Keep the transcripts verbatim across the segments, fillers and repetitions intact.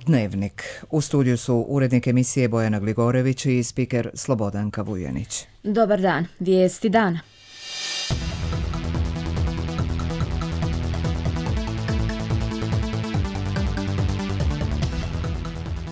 Dnevnik. U studiju su urednik emisije Bojana Gligorević i spiker Slobodanka Vujanić. Dobar dan, vijesti dana.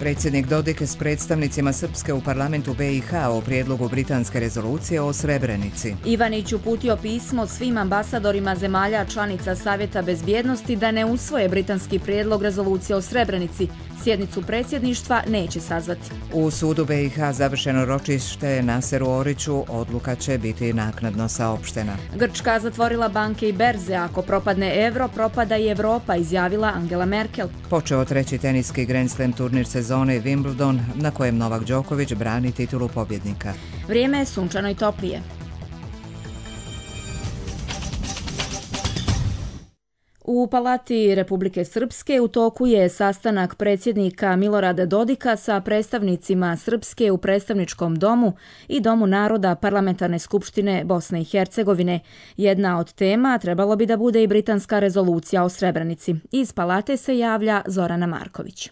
Predsjednik Dodik s predstavnicima Srpske u parlamentu B i H o prijedlogu britanske rezolucije o Srebrenici. Ivanić uputio pismo svim ambasadorima zemalja članica Savjeta bezbjednosti da ne usvoje britanski prijedlog rezolucije o Srebrenici. Sjednicu predsjedništva neće sazvati. U sudu B i H završeno ročište Naseru Oriću, odluka će biti naknadno saopštena. Grčka zatvorila banke i berze, ako propadne euro, propada i Evropa, izjavila Angela Merkel. Počeo treći teniski Grand Slam turnir sezone Wimbledon, na kojem Novak Đoković brani titulu pobjednika. Vrijeme je sunčano i toplije. U Palati Republike Srpske u toku je sastanak predsjednika Milorada Dodika sa predstavnicima Srpske u predstavničkom domu i Domu naroda Parlamentarne skupštine Bosne i Hercegovine. Jedna od tema trebalo bi da bude i britanska rezolucija o Srebrenici. Iz Palate se javlja Zorana Marković.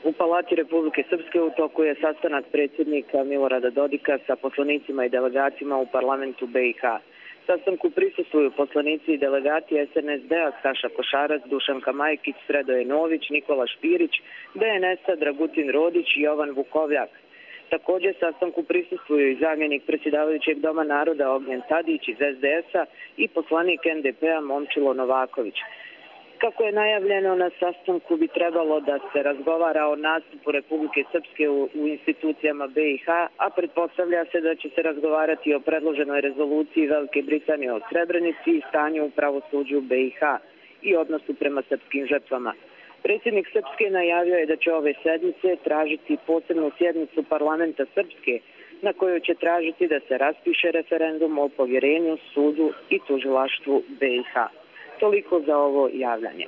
U Palati Republike Srpske u toku je sastanak predsjednika Milorada Dodika sa poslanicima i delegatima u parlamentu B i H. Sastanku prisustvuju poslanici i delegati S N S D-a Saša Košarac, Dušanka Majkić, Sredoje Nović, Nikola Špirić, D N S-a Dragutin Rodić i Jovan Vukovljak. Također sastanku prisustvuju i zamjenik predsjedavajućeg Doma naroda Ognjen Tadić iz S D S-a i poslanik N D P-a Momčilo Novaković. Kako je najavljeno, na sastanku bi trebalo da se razgovara o nastupu Republike Srpske u, u institucijama B i H, a pretpostavlja se da će se razgovarati o predloženoj rezoluciji Velike Britanije o Srebrenici i stanju u pravosuđu B i H i odnosu prema srpskim žrtvama. Predsjednik Srpske najavio je da će ove sedmice tražiti posebnu sjednicu parlamenta Srpske, na kojoj će tražiti da se raspiše referendum o povjerenju, sudu i tužilaštvu B i H. Toliko za ovo javljanje.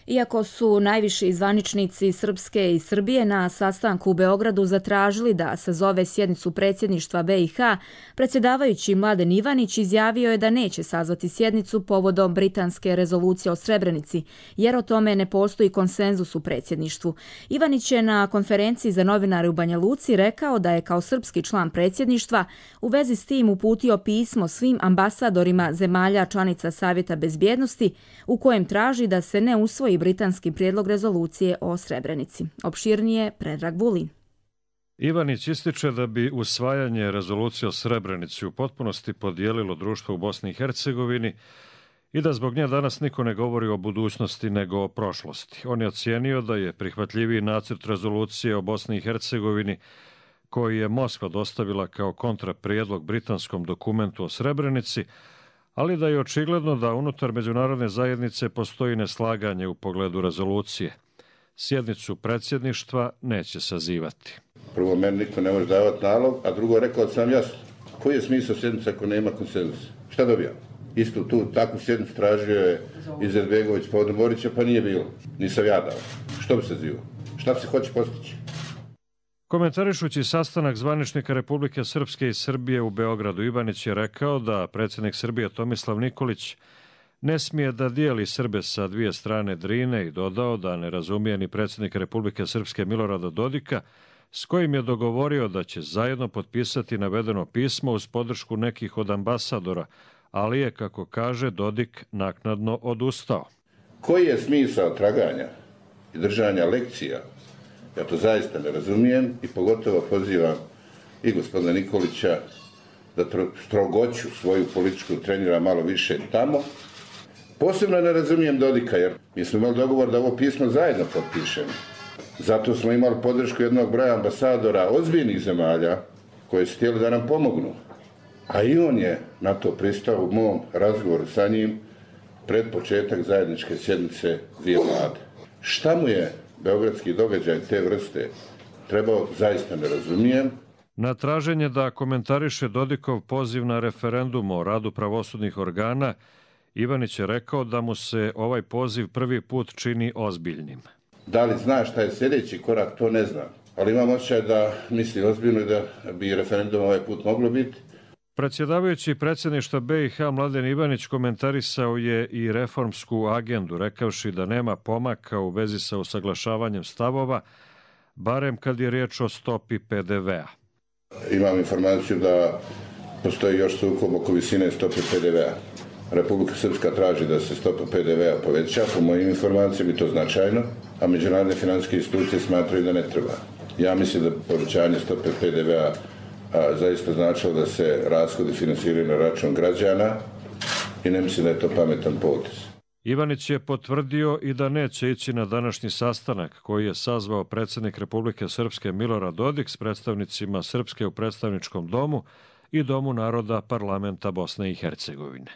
Iako su najviši zvaničnici Srpske i Srbije na sastanku u Beogradu zatražili da sazove sjednicu predsjedništva B i H, predsjedavajući Mladen Ivanić izjavio je da neće sazvati sjednicu povodom britanske rezolucije o Srebrenici, jer o tome ne postoji konsenzus u predsjedništvu. Ivanić je na konferenciji za novinare u Banja Luci rekao da je kao srpski član predsjedništva u vezi s tim uputio pismo svim ambasadorima zemalja članica Savjeta bezbjednosti u kojem traži da se ne usvoji britanski prijedlog rezolucije o Srebrenici. Opširnije Predrag Vulin. Ivanić ističe da bi usvajanje rezolucije o Srebrenici u potpunosti podijelilo društvo u Bosni i Hercegovini i da zbog nje danas niko ne govori o budućnosti nego o prošlosti. On je ocijenio da je prihvatljiviji nacrt rezolucije o Bosni i Hercegovini koji je Moskva dostavila kao kontraprijedlog britanskom dokumentu o Srebrenici, ali da je očigledno da unutar međunarodne zajednice postoji neslaganje u pogledu rezolucije. Sjednicu predsjedništva neće sazivati. Prvo, meni niko ne može davati nalog, a drugo, rekao sam jasno. Koji je smisao sjednice ako nema konsenzusa? Šta dobijam? Istu tu takvu sjednicu tražio je Izetbegović povodom Borića, pa nije bilo. Nisam ja dao. Što bi se zivao? Šta se hoće postići? Komentarišući sastanak zvaničnika Republike Srpske i Srbije u Beogradu, Ivanić je rekao da predsjednik Srbije Tomislav Nikolić ne smije da dijeli Srbe sa dvije strane Drine i dodao da ne razumije ni predsjednik Republike Srpske Milorada Dodika, s kojim je dogovorio da će zajedno potpisati navedeno pismo uz podršku nekih od ambasadora, ali je, kako kaže, Dodik naknadno odustao. Koji je smisao traganja i držanja lekcija? Ja to zaista ne razumijem i pogotovo pozivam i gospodina Nikolića da strogoću svoju političku trenira malo više tamo. Posebno ne razumijem Dodika, jer mi smo imali dogovor da ovo pismo zajedno potpišemo. Zato smo imali podršku jednog broja ambasadora ozbiljnih zemalja koji su htjeli da nam pomognu. A i on je na to pristao u mom razgovoru sa njim pred početak zajedničke sjednice dvije vlade. Šta mu je beogradski događaj te vrste trebao, zaista ne razumijem. Na traženje da komentariše Dodikov poziv na referendum o radu pravosudnih organa, Ivanić je rekao da mu se ovaj poziv prvi put čini ozbiljnim. Da li zna šta je sljedeći korak, to ne znam. Ali imam osjećaj da misli ozbiljno i da bi referendum ovaj put moglo biti. Predsjedavajući predsjedništva B i H Mladen Ivanić komentarisao je i reformsku agendu, rekavši da nema pomaka u vezi sa usaglašavanjem stavova, barem kad je riječ o stopi P D V-a. Imam informaciju da postoji još sukob oko visine stope P D V-a. Republika Srpska traži da se stopa P D V-a poveća, po mojim informacijama bi to značajno, a međunarodne financijske institucije smatraju da ne treba. Ja mislim da povećanje stope P D V-a a, zaista značilo da se rashodi finansiraju na račun građana i ne mislim da je to pametan potez. Ivanić je potvrdio i da neće ići na današnji sastanak koji je sazvao predsjednik Republike Srpske Milorad Dodik s predstavnicima Srpske u predstavničkom domu i Domu naroda parlamenta Bosne i Hercegovine.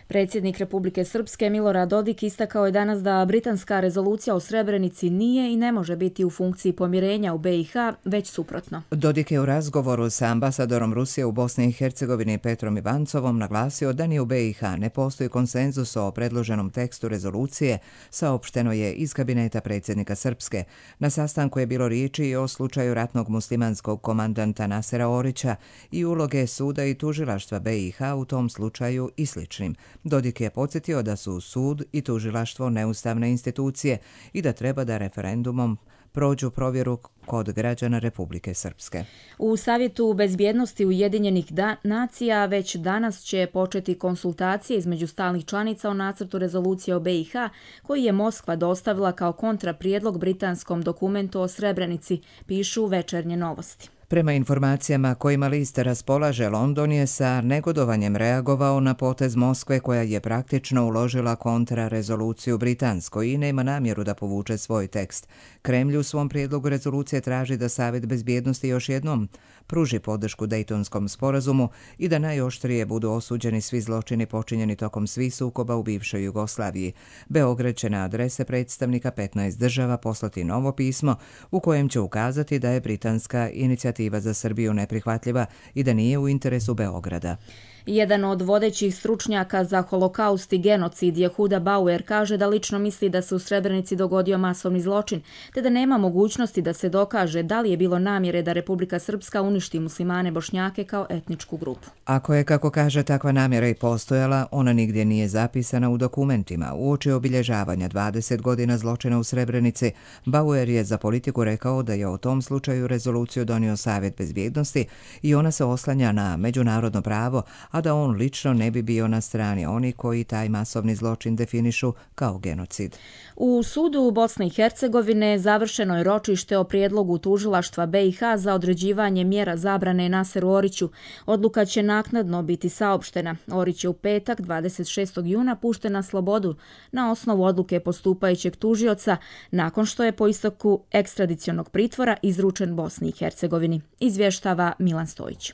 Predsjednik Republike Srpske Milorad Dodik istakao je danas da britanska rezolucija o Srebrenici nije i ne može biti u funkciji pomirenja u B i H, već suprotno. Dodik je u razgovoru sa ambasadorom Rusije u Bosni i Hercegovini Petrom Ivancovom naglasio da ni u B i H ne postoji konsenzus o predloženom tekstu rezolucije, saopšteno je iz kabineta predsjednika Srpske. Na sastanku je bilo riječi i o slučaju ratnog muslimanskog komandanta Nasera Orića i uloge suda i tužilaštva B i H u tom slučaju i sličnim. Dodik je podsjetio da su sud i tužilaštvo neustavne institucije i da treba da referendumom prođu provjeru kod građana Republike Srpske. U Savjetu bezbjednosti Ujedinjenih nacija već danas će početi konsultacije između stalnih članica o nacrtu rezolucije o B i H koji je Moskva dostavila kao kontraprijedlog britanskom dokumentu o Srebrenici, pišu Večernje novosti. Prema informacijama kojima list raspolaže, London je sa negodovanjem reagovao na potez Moskve koja je praktično uložila kontrarezoluciju Britanskoj i nema namjeru da povuče svoj tekst. Kremlj u svom prijedlogu rezolucije traži da Savjet bezbjednosti još jednom pruži podršku Dejtonskom sporazumu i da najoštrije budu osuđeni svi zločini počinjeni tokom svih sukoba u bivšoj Jugoslaviji. Beograd će na adrese predstavnika petnaest država poslati novo pismo u kojem će ukazati da je britanska inicijativa za Srbiju neprihvatljiva i da nije u interesu Beograda. Jedan od vodećih stručnjaka za holokaust i genocid Jehuda Bauer kaže da lično misli da se u Srebrenici dogodio masovni zločin, te da nema mogućnosti da se dokaže da li je bilo namjere da Republika Srpska uništi muslimane Bošnjake kao etničku grupu. Ako je, kako kaže, takva namjera i postojala, ona nigdje nije zapisana u dokumentima. Uoči obilježavanja dvadeset godina zločina u Srebrenici, Bauer je za Politiku rekao da je o tom slučaju rezoluciju donio Savjet bezbjednosti i ona se oslanja na međunarodno pravo, a da on lično ne bi bio na strani oni koji taj masovni zločin definišu kao genocid. U sudu Bosne i Hercegovine završeno je ročište o prijedlogu tužilaštva B i H za određivanje mjera zabrane Naseru Oriću. Odluka će naknadno biti saopštena. Orić je u petak dvadeset šestog juna pušten na slobodu na osnovu odluke postupajućeg tužioca nakon što je po isteku ekstradicionog pritvora izručen Bosni i Hercegovini. Izvještava Milan Stojić.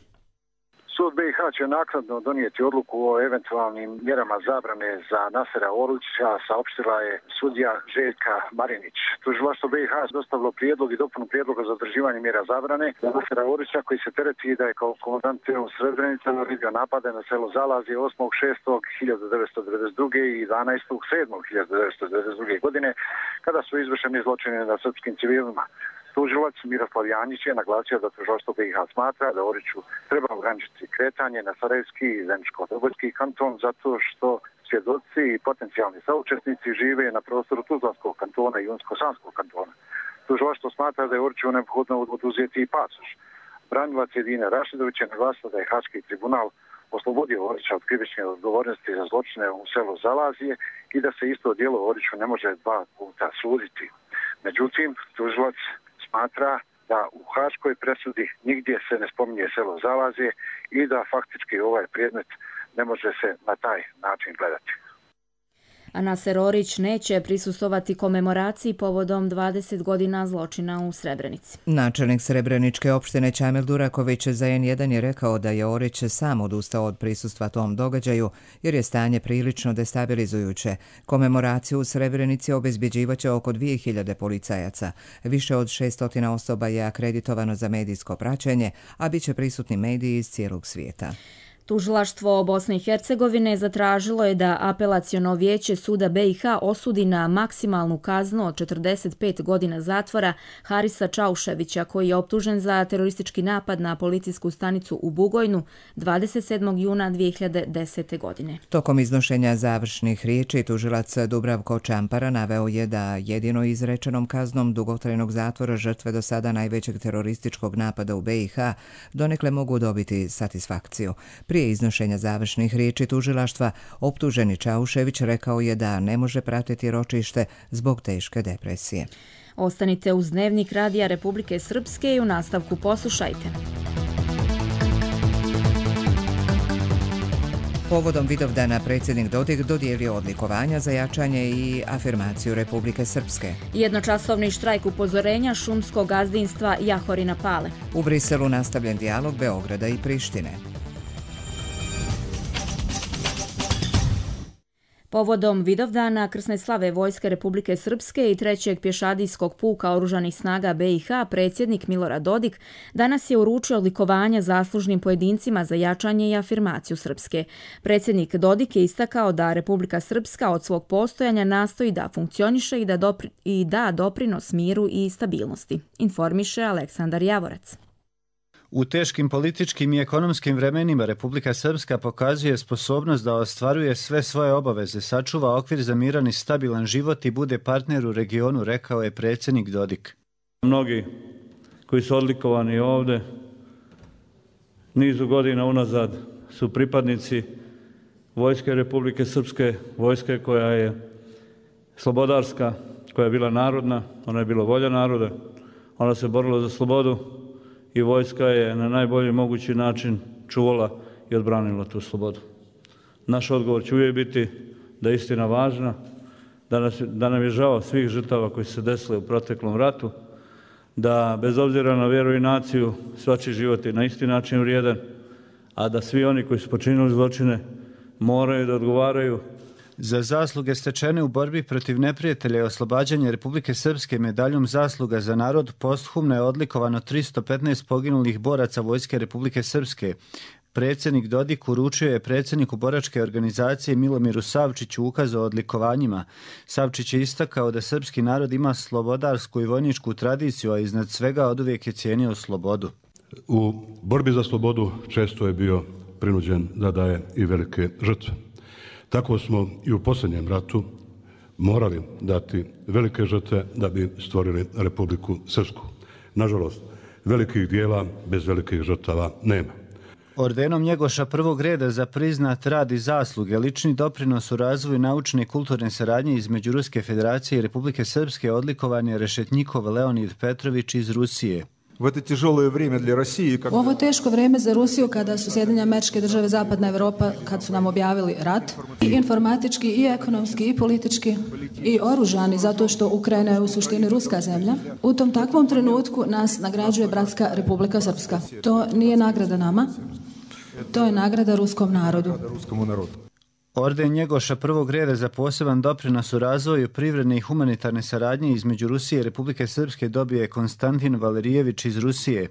Sud B i H će naknadno donijeti odluku o eventualnim mjerama zabrane za Nasera Orića, saopštila je sudija Željka Marinić. Tužilaštvo B i H dostavilo prijedlog i dopunu prijedloga za određivanje mjera zabrane za Nasera Orića koji se tereti da je kao komandant u Srebrenici naredio napade na selo Zalazje osmog šestog hiljadu devetsto devedeset druge i jedanaestog sedmog hiljadu devetsto devedeset druge godine kada su izvršeni zločini nad srpskim civilima. Tužilac Miroslav Janjić je naglasio da tužilaštvo B i H smatra da Oriću treba ograničiti kretanje na Sarajevski i Zeničko-Dobrojski kanton zato što svjedoci i potencijalni saučesnici žive na prostoru Tuzlanskog kantona i Unsko-Sanskog kantona. Tužilaštvo smatra da je Oriću neophodno oduzeti i pasoš. Branilac Edine Rašidović je naglasio da je Haški tribunal oslobodio Orića od krivične odgovornosti za zločine u selu Zalazije i da se isto djelo Oriću ne može dva puta suditi. Međutim, tužilac smatra da u haškoj presudi nigdje se ne spominje selo Zalazje i da faktički ovaj predmet ne može se na taj način gledati. A Naser Orić neće prisustvovati komemoraciji povodom dvadeset godina zločina u Srebrenici. Načelnik Srebreničke opštine Čamil Duraković za en jedan je rekao da je Orić sam odustao od prisustva tom događaju jer je stanje prilično destabilizujuće. Komemoraciju u Srebrenici obezbjeđivaće oko dvije hiljade policajaca. Više od šesnaest osoba je akreditovano za medijsko praćenje, a bit će prisutni mediji iz cijelog svijeta. Tužilaštvo Bosne i Hercegovine zatražilo je da apelaciono vijeće suda B i H osudi na maksimalnu kaznu od četrdeset pet godina zatvora Harisa Čauševića, koji je optužen za teroristički napad na policijsku stanicu u Bugojnu dvadeset sedmog juna dvije hiljade desete. godine. Tokom iznošenja završnih riječi, tužilac Dubravko Čampara naveo je da jedino izrečenom kaznom dugotrajnog zatvora žrtve do sada najvećeg terorističkog napada u B i H donekle mogu dobiti satisfakciju. Prije iznošenja završnih riječi tužilaštva, optuženi Čaušević rekao je da ne može pratiti ročište zbog teške depresije. Ostanite uz Dnevnik Radija Republike Srpske i u nastavku poslušajte. Povodom Vidovdana predsjednik Dodik dodijelio odlikovanja za jačanje i afirmaciju Republike Srpske. Jednočasovni štrajk upozorenja šumskog gazdinstva Jahorina Pale. U Briselu nastavljen dijalog Beograda i Prištine. Povodom Vidovdana krsne slave Vojske Republike Srpske i trećeg pješadijskog puka oružanih snaga B i H, predsjednik Milorad Dodik danas je uručio odlikovanja zaslužnim pojedincima za jačanje i afirmaciju Srpske. Predsjednik Dodik je istakao da Republika Srpska od svog postojanja nastoji da funkcioniše i da, dopri, i da doprinos miru i stabilnosti, informiše Aleksandar Javorac. U teškim političkim i ekonomskim vremenima Republika Srpska pokazuje sposobnost da ostvaruje sve svoje obaveze, sačuva okvir za miran i stabilan život i bude partner u regionu, rekao je predsjednik Dodik. Mnogi koji su odlikovani ovdje nizu godina unazad su pripadnici Vojske Republike Srpske, vojske koja je slobodarska, koja je bila narodna, ona je bila volja naroda, ona se borila za slobodu i vojska je na najbolji mogući način čuvala i odbranila tu slobodu. Naš odgovor će uvijek biti da je istina važna, da, nas, da nam je žao svih žrtava koji su se desile u proteklom ratu, da bez obzira na vjeru i naciju svačiji život je na isti način vrijedan, a da svi oni koji su počinili zločine moraju da odgovaraju. Za zasluge stečene u borbi protiv neprijatelja i oslobađanja Republike Srpske medaljom zasluga za narod posthumno je odlikovano tristo petnaest poginulih boraca Vojske Republike Srpske. Predsjednik Dodik uručio je predsjedniku boračke organizacije Milomiru Savčiću ukaz o odlikovanjima. Savčić je istakao da srpski narod ima slobodarsku i vojničku tradiciju, a iznad svega oduvijek je cijenio slobodu. U borbi za slobodu često je bio prinuđen da daje i velike žrtve. Tako smo i u posljednjem ratu morali dati velike žrtve da bi stvorili Republiku Srpsku. Nažalost, velikih dijela bez velikih žrtava nema. Ordenom Njegoša prvog reda za priznat rad i zasluge, lični doprinos u razvoju naučne i kulturne saradnje između Ruske federacije i Republike Srpske odlikovan je Rešetnjikov Leonid Petrović iz Rusije. U ovo teško vrijeme za Rusiju, kada su Sjedinjene Američke Države, Zapadna Evropa, kad su nam objavili rat, i informatički, i ekonomski, i politički, i oružani, zato što Ukrajina je u suštini ruska zemlja, u tom takvom trenutku nas nagrađuje bratska Republika Srpska. To nije nagrada nama, to je nagrada ruskom narodu. Orden Njegoša prvog reda za poseban doprinos u razvoju privredne i humanitarne saradnje između Rusije i Republike Srpske dobio je Konstantin Valerijević iz Rusije.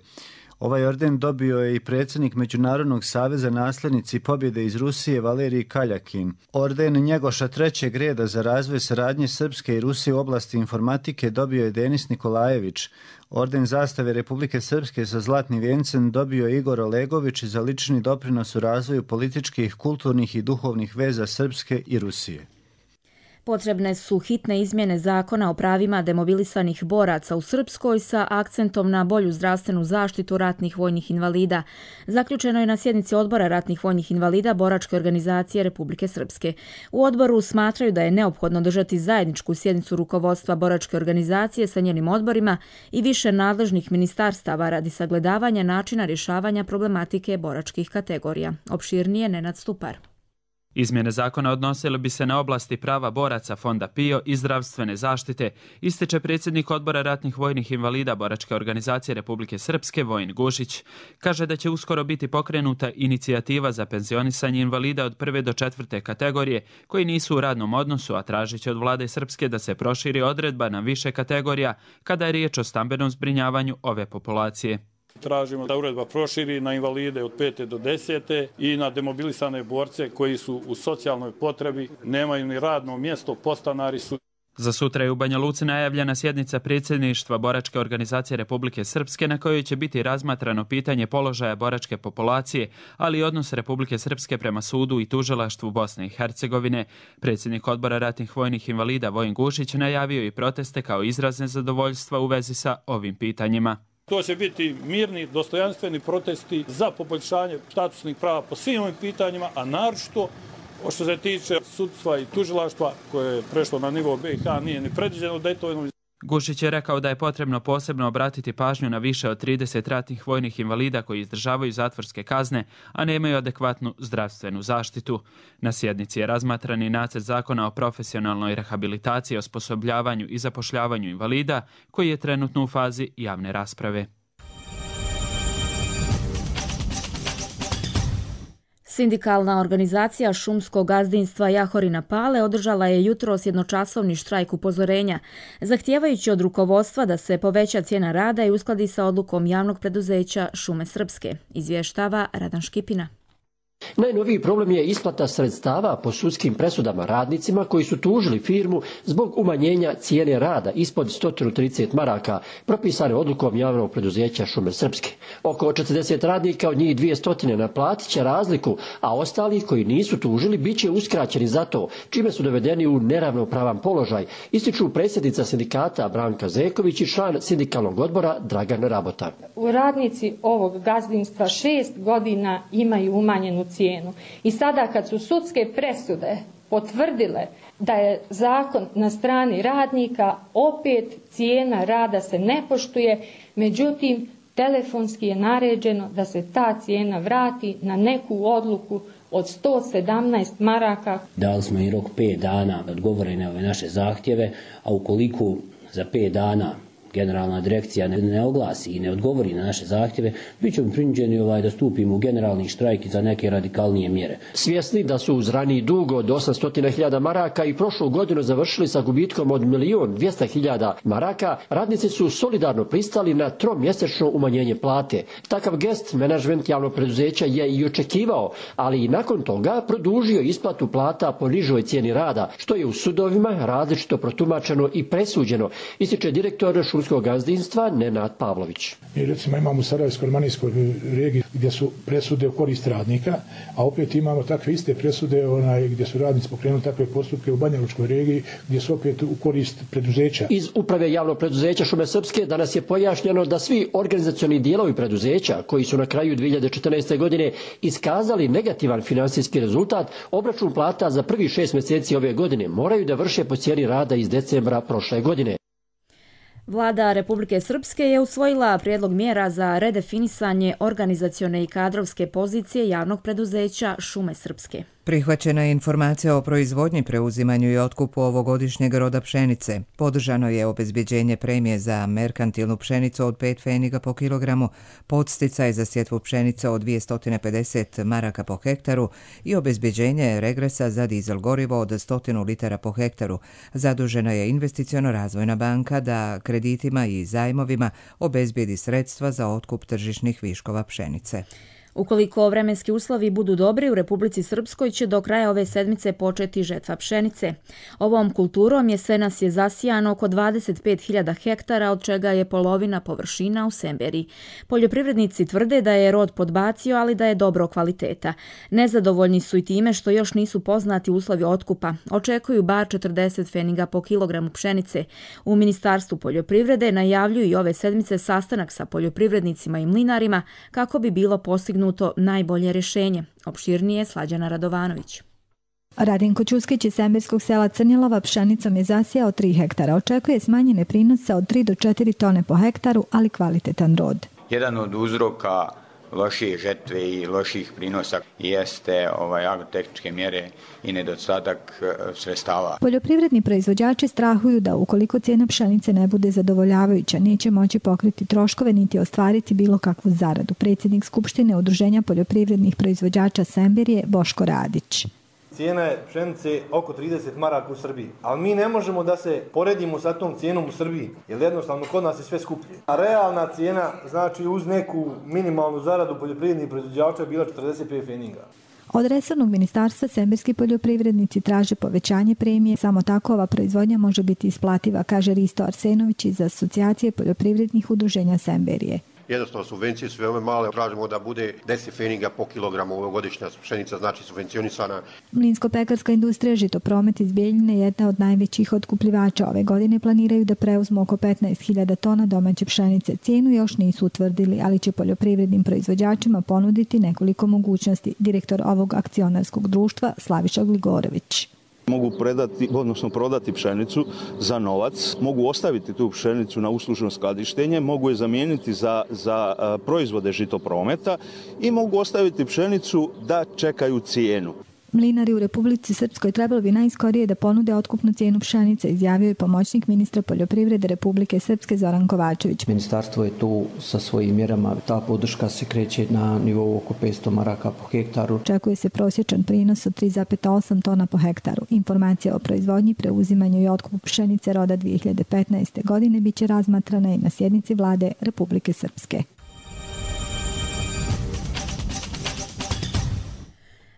Ovaj orden dobio je i predsjednik Međunarodnog saveza nasljednici pobjede iz Rusije Valerij Kaljakin. Orden Njegoša trećeg reda za razvoj saradnje Srpske i Rusije u oblasti informatike dobio je Denis Nikolajević. Orden zastave Republike Srpske sa zlatnim vijencem dobio je Igor Olegović za lični doprinos u razvoju političkih, kulturnih i duhovnih veza Srpske i Rusije. Potrebne su hitne izmjene zakona o pravima demobilisanih boraca u Srpskoj sa akcentom na bolju zdravstvenu zaštitu ratnih vojnih invalida. Zaključeno je na sjednici Odbora ratnih vojnih invalida Boračke organizacije Republike Srpske. U odboru smatraju da je neophodno držati zajedničku sjednicu rukovodstva Boračke organizacije sa njenim odborima i više nadležnih ministarstava radi sagledavanja načina rješavanja problematike boračkih kategorija. Opširnije Nenad Stupar. Izmjene zakona odnosile bi se na oblasti prava boraca Fonda PIO i zdravstvene zaštite, ističe predsjednik Odbora ratnih vojnih invalida Boračke organizacije Republike Srpske Vojin Gušić. Kaže da će uskoro biti pokrenuta inicijativa za penzionisanje invalida od prve do četvrte kategorije koji nisu u radnom odnosu, a tražit će od vlade Srpske da se proširi odredba na više kategorija kada je riječ o stambenom zbrinjavanju ove populacije. Tražimo da uredba proširi na invalide od pete do desete i na demobilisane borce koji su u socijalnoj potrebi, nemaju ni radno mjesto, podstanari su. Za sutra je u Banja Luci najavljena sjednica predsjedništva Boračke organizacije Republike Srpske na kojoj će biti razmatrano pitanje položaja boračke populacije, ali i odnos Republike Srpske prema sudu i tužilaštvu Bosne i Hercegovine. Predsjednik odbora ratnih vojnih invalida Vojin Gušić najavio i proteste kao izraz nezadovoljstva u vezi sa ovim pitanjima. To će biti mirni, dostojanstveni protesti za poboljšanje statusnih prava po svim ovim pitanjima, a naročito što se tiče sudstva i tužilaštva koje je prešlo na nivo B i H, nije ni predviđeno da je to. Gušić je rekao da je potrebno posebno obratiti pažnju na više od trideset ratnih vojnih invalida koji izdržavaju zatvorske kazne, a nemaju adekvatnu zdravstvenu zaštitu. Na sjednici je razmatran i nacrt zakona o profesionalnoj rehabilitaciji, osposobljavanju i zapošljavanju invalida, koji je trenutno u fazi javne rasprave. Sindikalna organizacija šumskog gazdinstva Jahorina Pale održala je jutros jednočasovni štrajk upozorenja, zahtijevajući od rukovodstva da se poveća cijena rada i uskladi sa odlukom javnog preduzeća Šume Srpske, izvještava Radan Škipina. Najnoviji problem je isplata sredstava po sudskim presudama radnicima koji su tužili firmu zbog umanjenja cijene rada ispod sto trideset maraka, propisane odlukom javnog preduzeća Šume Srpske. Oko četrdeset radnika, od njih dvjesto naplatit će razliku, a ostali koji nisu tužili bit će uskraćeni za to, čime su dovedeni u neravnopravan položaj, ističu predsjednica sindikata Branka Zeković i član sindikalnog odbora Dragan Rabota. Radnici ovog gazdinstva šest godina imaju umanjenu cijenu. I sada kad su sudske presude potvrdile da je zakon na strani radnika, opet cijena rada se ne poštuje, međutim telefonski je naređeno da se ta cijena vrati na neku odluku od sto sedamnaest maraka. Dali smo i rok pet dana da odgovore na ove naše zahtjeve, a ukoliko za pet dana generalna direkcija ne, ne oglasi i ne odgovori na naše zahtjeve, bit ćemo prinuđeni ovaj, da stupimo u generalni štrajk za neke radikalnije mjere. Svjesni da su uz raniji dug od osamsto hiljada maraka i prošlu godinu završili sa gubitkom od milion dvjesto hiljada maraka, radnici su solidarno pristali na tromjesečno umanjenje plate. Takav gest menadžment javnog preduzeća je i očekivao, ali i nakon toga produžio isplatu plata po nižoj cijeni rada, što je u sudovima različito protumačeno i presuđeno, ističe direktor šumskog gazdinstva Nenad Pavlović. Mi recimo imamo u Sarajevsko-Romanijskoj regiji gdje su presude u korist radnika, a opet imamo takve iste presude onaj, gdje su radnici pokrenuli takve postupke u Banjalučkoj regiji gdje su opet u korist preduzeća. Iz uprave javnog preduzeća Šume Srpske danas je pojašnjeno da svi organizacioni dijelovi preduzeća koji su na kraju dvije hiljade četrnaeste. godine iskazali negativan finansijski rezultat, obračun plata za prvih šest mjeseci ove godine moraju da vrše po cijeni rada iz decembra prošle godine. Vlada Republike Srpske je usvojila prijedlog mjera za redefinisanje organizacione i kadrovske pozicije javnog preduzeća Šume Srpske. Prihvaćena je informacija o proizvodnji, preuzimanju i otkupu ovogodišnjeg roda pšenice. Podržano je obezbjeđenje premije za merkantilnu pšenicu od pet pfeniga po kilogramu, podsticaj za sjetvu pšenice od dvjesto pedeset maraka po hektaru i obezbjeđenje regresa za dizel gorivo od sto litara po hektaru. Zadužena je Investiciono razvojna banka da kreditima i zajmovima obezbijedi sredstva za otkup tržišnih viškova pšenice. Ukoliko vremenski uslovi budu dobri, u Republici Srpskoj će do kraja ove sedmice početi žetva pšenice. Ovom kulturom jesenas je zasijano oko dvadeset pet hiljada hektara, od čega je polovina površina u Semberi. Poljoprivrednici tvrde da je rod podbacio, ali da je dobro kvaliteta. Nezadovoljni su i time što još nisu poznati uslovi otkupa. Očekuju bar četrdeset pfeniga po kilogramu pšenice. U Ministarstvu poljoprivrede najavljuju i ove sedmice sastanak sa poljoprivrednicima i mlinarima kako bi bilo postignuto najbolje rješenje. Opširnije Slađana Radovanović. Radinko Ćuskić iz semberskog sela Crnjelova pšenicom je zasijao tri hektara. Očekuje smanjene prinose od tri do četiri tone po hektaru, ali kvalitetan rod. Jedan od uzroka lošije žetve i loših prinosa jeste ovaj agrotehničke mjere i nedostatak sredstava. Poljoprivredni proizvođači strahuju da ukoliko cijena pšenice ne bude zadovoljavajuća, neće moći pokriti troškove niti ostvariti bilo kakvu zaradu. Predsjednik Skupštine Udruženja poljoprivrednih proizvođača Semberije Boško Radić. Cijena je pšenice oko trideset maraka u Srbiji, ali mi ne možemo da se poredimo sa tom cijenom u Srbiji, jer jednostavno kod nas je sve skuplje. A realna cijena, znači uz neku minimalnu zaradu poljoprivrednih proizvođača je bila četrdeset pet pfeninga. Od resornog ministarstva semberski poljoprivrednici traže povećanje premije, samo tako ova proizvodnja može biti isplativa, kaže Risto Arsenović iz Asocijacije poljoprivrednih udruženja Semberije. Jednostavno subvencije su veoma male, tražimo da bude deset pfeninga po kilogramu, ovogodišnja pšenica znači subvencionisana. Mlinsko-pekarska industrija Žitopromet iz Bijeljine, jedna od najvećih otkupljivača ove godine, planiraju da preuzmu oko petnaest hiljada tona domaće pšenice. Cijenu još nisu utvrdili, ali će poljoprivrednim proizvođačima ponuditi nekoliko mogućnosti. Direktor ovog akcionarskog društva Slaviša Gligorović. Mogu predati, odnosno prodati pšenicu za novac, mogu ostaviti tu pšenicu na uslužno skladištenje, mogu je zamijeniti za, za proizvode Žitoprometa i mogu ostaviti pšenicu da čekaju cijenu. Mlinari u Republici Srpskoj trebalo bi najskorije da ponude otkupnu cijenu pšenice, izjavio je pomoćnik ministra poljoprivrede Republike Srpske Zoran Kovačević. Ministarstvo je tu sa svojim mjerama, ta podrška se kreće na nivou oko petsto maraka po hektaru. Očekuje se prosječan prinos od tri zarez osam tona po hektaru. Informacija o proizvodnji, preuzimanju i otkupu pšenice roda dvije hiljade petnaeste. godine biće razmatrana i na sjednici vlade Republike Srpske.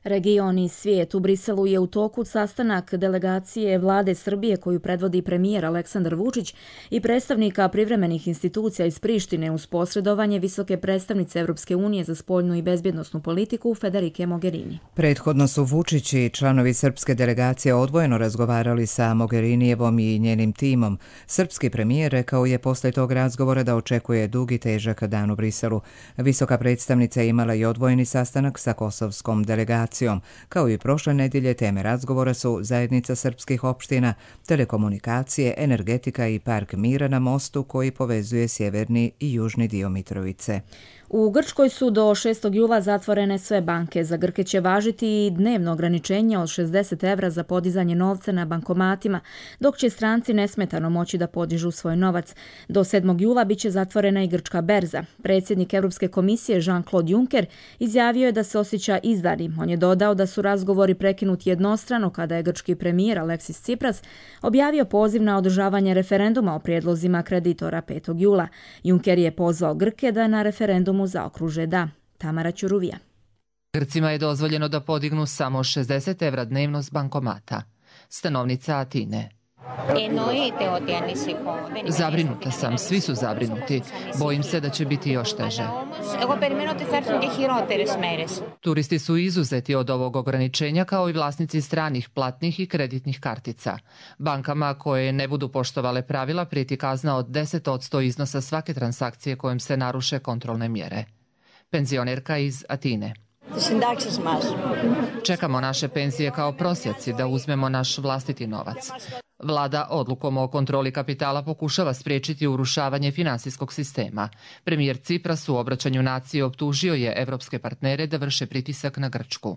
Region i svijet. U Briselu je u toku sastanak delegacije vlade Srbije koju predvodi premijer Aleksandar Vučić i predstavnika privremenih institucija iz Prištine uz posredovanje visoke predstavnice Evropske unije za spoljnu i bezbjednosnu politiku Federike Mogherini. Prethodno su Vučić i članovi srpske delegacije odvojeno razgovarali sa Mogherinijevom i njenim timom. Srpski premijer rekao je posle tog razgovora da očekuje dug i težak dan u Briselu. Visoka predstavnica je imala i odvojeni sastanak sa kosovskom delegacijom. Kao i prošle nedjelje, teme razgovora su zajednica srpskih opština, telekomunikacije, energetika i park mira na mostu koji povezuje sjeverni i južni dio Mitrovice. U Grčkoj su do šestog jula zatvorene sve banke. Za Grke će važiti i dnevno ograničenje od šezdeset evra za podizanje novca na bankomatima, dok će stranci nesmetano moći da podižu svoj novac. Do sedmog jula biće zatvorena i grčka berza. Predsjednik Europske komisije Jean-Claude Juncker izjavio je da se osjeća izdanim. On je dodao da su razgovori prekinuti jednostrano kada je grčki premijer Aleksis Tsipras objavio poziv na održavanje referenduma o prijedlozima kreditora petog jula. Juncker je pozvao Grke da na referendumu zaokruže da. Tamara Ćuruvija. Grcima je dozvoljeno da podignu samo šezdeset evra dnevno s bankomata. Stanovnica Atine. Zabrinuta sam, svi su zabrinuti. Bojim se da će biti još teže. Turisti su izuzeti od ovog ograničenja kao i vlasnici stranih platnih i kreditnih kartica. Bankama koje ne budu poštovale pravila prijeti kazna od deset posto iznosa svake transakcije kojom se naruše kontrolne mjere. Penzionerka iz Atine. Čekamo naše penzije kao prosjaci da uzmemo naš vlastiti novac. Vlada odlukom o kontroli kapitala pokušava spriječiti urušavanje finansijskog sistema. Premijer Tsipras u obraćanju naciji optužio je evropske partnere da vrše pritisak na Grčku.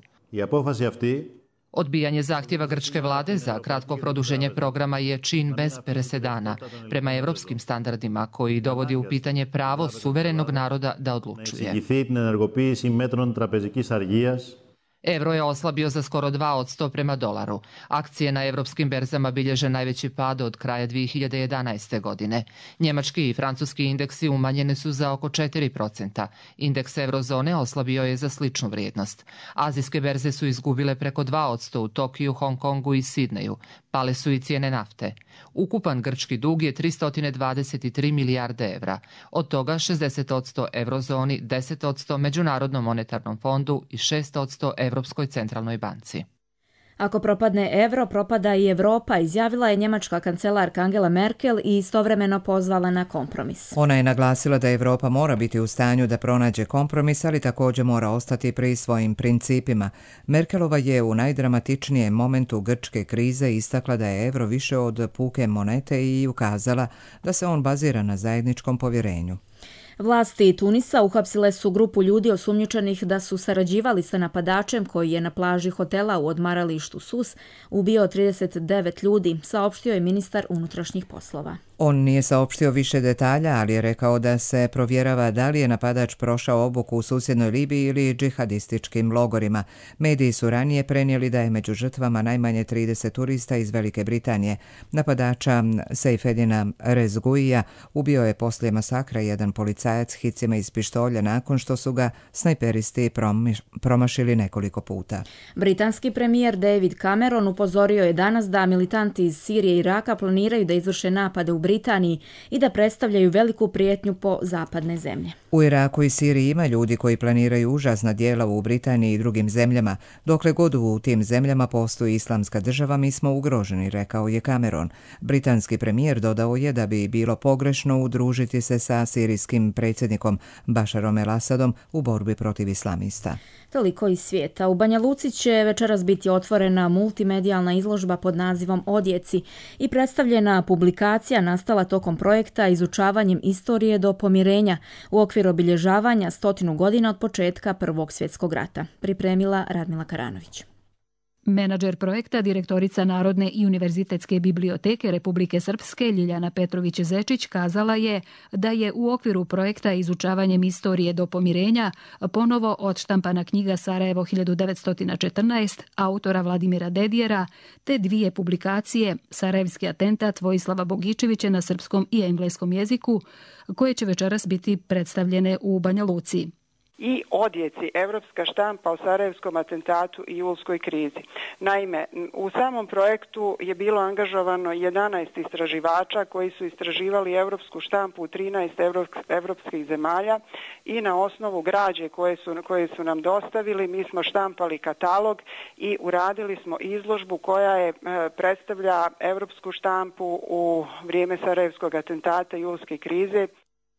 Odbijanje zahtjeva grčke vlade za kratko produženje programa je čin bez presedana prema evropskim standardima koji dovodi u pitanje pravo suverenog naroda da odlučuje. Evro je oslabio za skoro dva posto prema dolaru. Akcije na evropskim berzama bilježe najveći pad od kraja dvije hiljade jedanaeste. godine. Njemački i francuski indeksi umanjene su za oko četiri posto. Indeks eurozone oslabio je za sličnu vrijednost. Azijske berze su izgubile preko dva posto u Tokiju, Hong Kongu i Sidneju. Pale su i cijene nafte. Ukupan grčki dug je tristo dvadeset tri milijarde evra. Od toga šezdeset posto eurozoni, deset posto Međunarodnom monetarnom fondu i šest posto Europskoj centralnoj banci. Ako propadne evro, propada i Evropa, izjavila je njemačka kancelarka Angela Merkel i istovremeno pozvala na kompromis. Ona je naglasila da Evropa mora biti u stanju da pronađe kompromis, ali također mora ostati pri svojim principima. Merkelova je u najdramatičnijem momentu grčke krize istakla da je evro više od puke monete i ukazala da se on bazira na zajedničkom povjerenju. Vlasti Tunisa uhapsile su grupu ljudi osumnjičenih da su sarađivali sa napadačem koji je na plaži hotela u odmaralištu Sus ubio trideset devet ljudi, saopštio je ministar unutrašnjih poslova. On nije saopštio više detalja, ali je rekao da se provjerava da li je napadač prošao obuku u susjednoj Libiji ili džihadističkim logorima. Mediji su ranije prenijeli da je među žrtvama najmanje trideset turista iz Velike Britanije. Napadača Sejfedina Rezguija ubio je poslije masakra jedan policajac hicima iz pištolja nakon što su ga snajperisti promašili nekoliko puta. Britanski premijer David Cameron upozorio je danas da militanti iz Sirije i Iraka planiraju da izvrše napade u Britaniji i da predstavljaju veliku prijetnju po zapadne zemlje. U Iraku i Siriji ima ljudi koji planiraju užasna djela u Britaniji i drugim zemljama. Dokle god u tim zemljama postoji islamska država, mi smo ugroženi, rekao je Cameron. Britanski premijer dodao je da bi bilo pogrešno udružiti se sa sirijskim predsjednikom Bašarom el-Asadom u borbi protiv islamista. Toliko iz svijeta. U Banja Luci će večeras biti otvorena multimedijalna izložba pod nazivom Odjeci i predstavljena publikacija nastala tokom projekta Izučavanjem istorije do pomirenja u okviru obilježavanja stotinu godina od početka Prvog svjetskog rata. Pripremila Radmila Karanović. Menadžer projekta, direktorica Narodne i univerzitetske biblioteke Republike Srpske Ljiljana Petrović-Zečić kazala je da je u okviru projekta Izučavanjem istorije do pomirenja ponovo odštampana knjiga Sarajevo hiljadu devetsto četrnaest autora Vladimira Dedijera te dvije publikacije Sarajevski atentat Vojislava Bogičevića na srpskom i engleskom jeziku koje će večeras biti predstavljene u Banja Luci. I Odjeci, evropska štampa o Sarajevskom atentatu i julskoj krizi. Naime, u samom projektu je bilo angažovano jedanaest istraživača koji su istraživali evropsku štampu u trinaest evropskih zemalja i na osnovu građe koje su, koje su nam dostavili mi smo štampali katalog i uradili smo izložbu koja je predstavlja evropsku štampu u vrijeme Sarajevskog atentata i julske krize.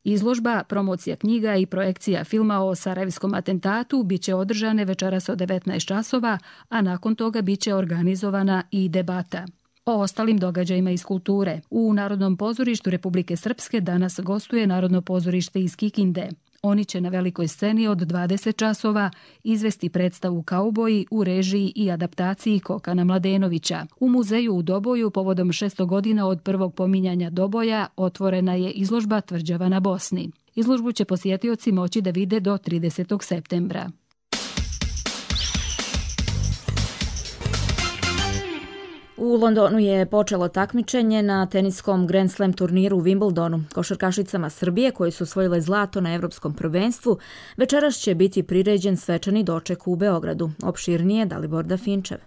Izložba, promocija knjiga i projekcija filma o Sarajevskom atentatu biće održane večeras od devetnaest časova, a nakon toga biće organizovana i debata. O ostalim događajima iz kulture. U Narodnom pozorištu Republike Srpske danas gostuje Narodno pozorište iz Kikinde. Oni će na velikoj sceni od dvadeset časova izvesti predstavu Kauboji u režiji i adaptaciji Kokana Mladenovića. U muzeju u Doboju povodom šesto godina od prvog pominjanja Doboja otvorena je izložba Tvrđava na Bosni. Izložbu će posjetioci moći da vide do tridesetog septembra. U Londonu je počelo takmičenje na teniskom Grand Slam turniru u Wimbledonu. Košarkašicama Srbije koje su osvojile zlato na Evropskom prvenstvu, večeras će biti priređen svečani doček u Beogradu. Opširnije Dalibor Dafinčev.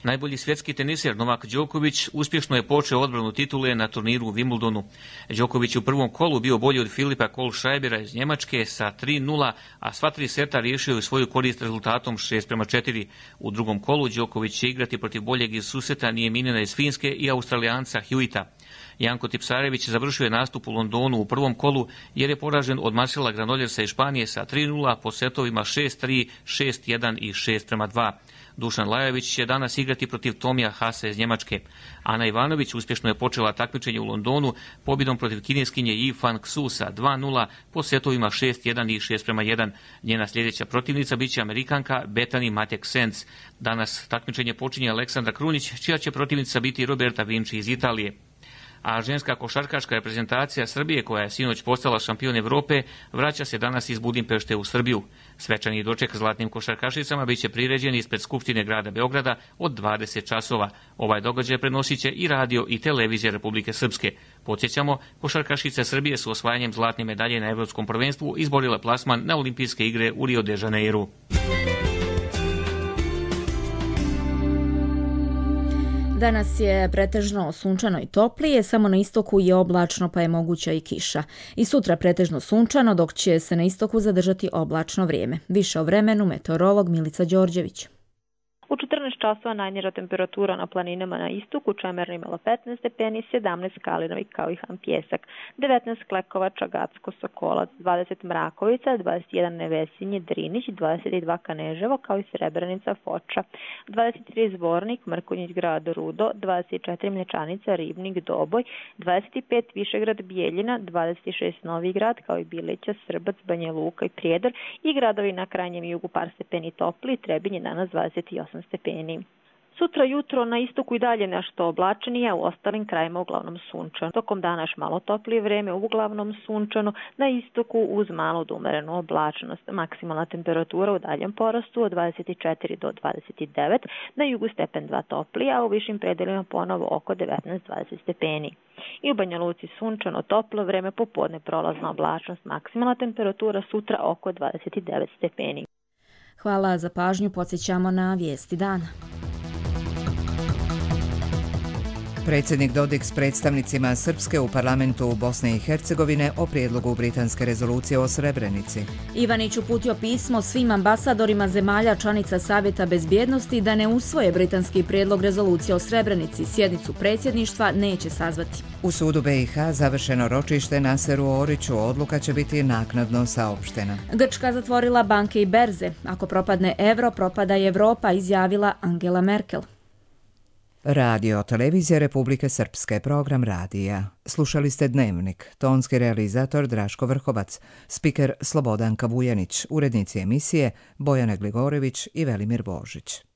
Najbolji svjetski teniser Novak Đoković uspješno je počeo odbranu titule na turniru u Wimbledonu. Đoković u prvom kolu bio bolji od Filipa Kohlscheibera iz Njemačke sa tri nula, a sva tri seta riješio je svoju korist rezultatom šest prema četiri. U drugom kolu Đoković će igrati protiv boljeg iz susreta Nijeminina iz Finske i Australijanca Hewita. Janko Tipsarević završio je nastup u Londonu u prvom kolu jer je poražen od Marcela Granoljersa iz Španije sa tri nula po setovima šest tri, šest jedan i šest prema dva. Dušan Lajović će danas igrati protiv Tomija Hasa iz Njemačke. Ana Ivanović uspješno je počela takmičenje u Londonu pobjedom protiv kineskinje Yi Fan Xu sa dva nula po setovima šest jedan i šest prema jedan. Njena sljedeća protivnica biće Amerikanka Bethany Matek-Sens. Danas takmičenje počinje Aleksandra Krunić, čija će protivnica biti Roberta Vinci iz Italije. A ženska košarkaška reprezentacija Srbije, koja je sinoć postala šampion Evrope, vraća se danas iz Budimpešte u Srbiju. Svečani doček zlatnim košarkašicama biće priređen ispred Skupštine grada Beograda od dvadeset časova. Ovaj događaj prenosit će i radio i televizija Republike Srpske. Podsjećamo, košarkašice Srbije su osvajanjem zlatne medalje na Evropskom prvenstvu izborile plasman na Olimpijske igre u Rio de Janeiru. Danas je pretežno sunčano i toplije, samo na istoku je oblačno pa je moguća i kiša. I sutra pretežno sunčano, dok će se na istoku zadržati oblačno vrijeme. Više o vremenu meteorolog Milica Đorđević. U četrnaest časova najniža temperatura na planinama na istoku, Čemerna imala petnaest stepeni, sedamnaest Kalinović kao i Han Pjesak, devetnaest Klekovača, Gacko, Sokolac, dvadeset Mrakovica, dvadeset jedan Nevesinje, Drinić, dvadeset dva Kaneževo kao i Srebrenica, Foča, dvadeset tri Zvornik, Mrkonjić, Grad Rudo, dvadeset četiri Mlječanica, Ribnik, Doboj, dvadeset pet Višegrad, Bijeljina, dvadeset šest Novi Grad kao i Bileća, Srbac, Banja Luka i Prijedor i gradovi na krajnjem jugu par stepeni topli, Trebinje danas dvadeset osam stepeni. Sutra jutro na istoku i dalje nešto oblačenije, u ostalim krajima uglavnom sunčano. Tokom dana još malo toplije vreme, uglavnom sunčano, na istoku uz malo do umerenu oblačenost. Maksimalna temperatura u daljem porastu od dvadeset četiri do dvadeset devet, na jugu stepen dva toplije, a u višim predelima ponovo oko devetnaest do dvadeset stepeni. I u Banja Luci sunčano toplo vreme, popodne prolazna oblačnost, maksimalna temperatura sutra oko dvadeset devet stepeni. Hvala za pažnju, podsjećamo na vijesti dana. Predsjednik Dodik s predstavnicima Srpske u parlamentu Bosne i Hercegovine o prijedlogu britanske rezolucije o Srebrenici. Ivanić uputio pismo svim ambasadorima zemalja članica Savjeta bezbjednosti da ne usvoje britanski prijedlog rezolucije o Srebrenici. Sjednicu predsjedništva neće sazvati. U sudu B i H završeno ročište Naseru Oriću, odluka će biti naknadno saopštena. Grčka zatvorila banke i berze. Ako propadne evro, propada i Evropa, izjavila Angela Merkel. Radio Televizija Republike Srpske, program radija. Slušali ste Dnevnik, tonski realizator Draško Vrhovac, spiker Slobodanka Vujanić, urednici emisije Bojana Gligorević i Velimir Božić.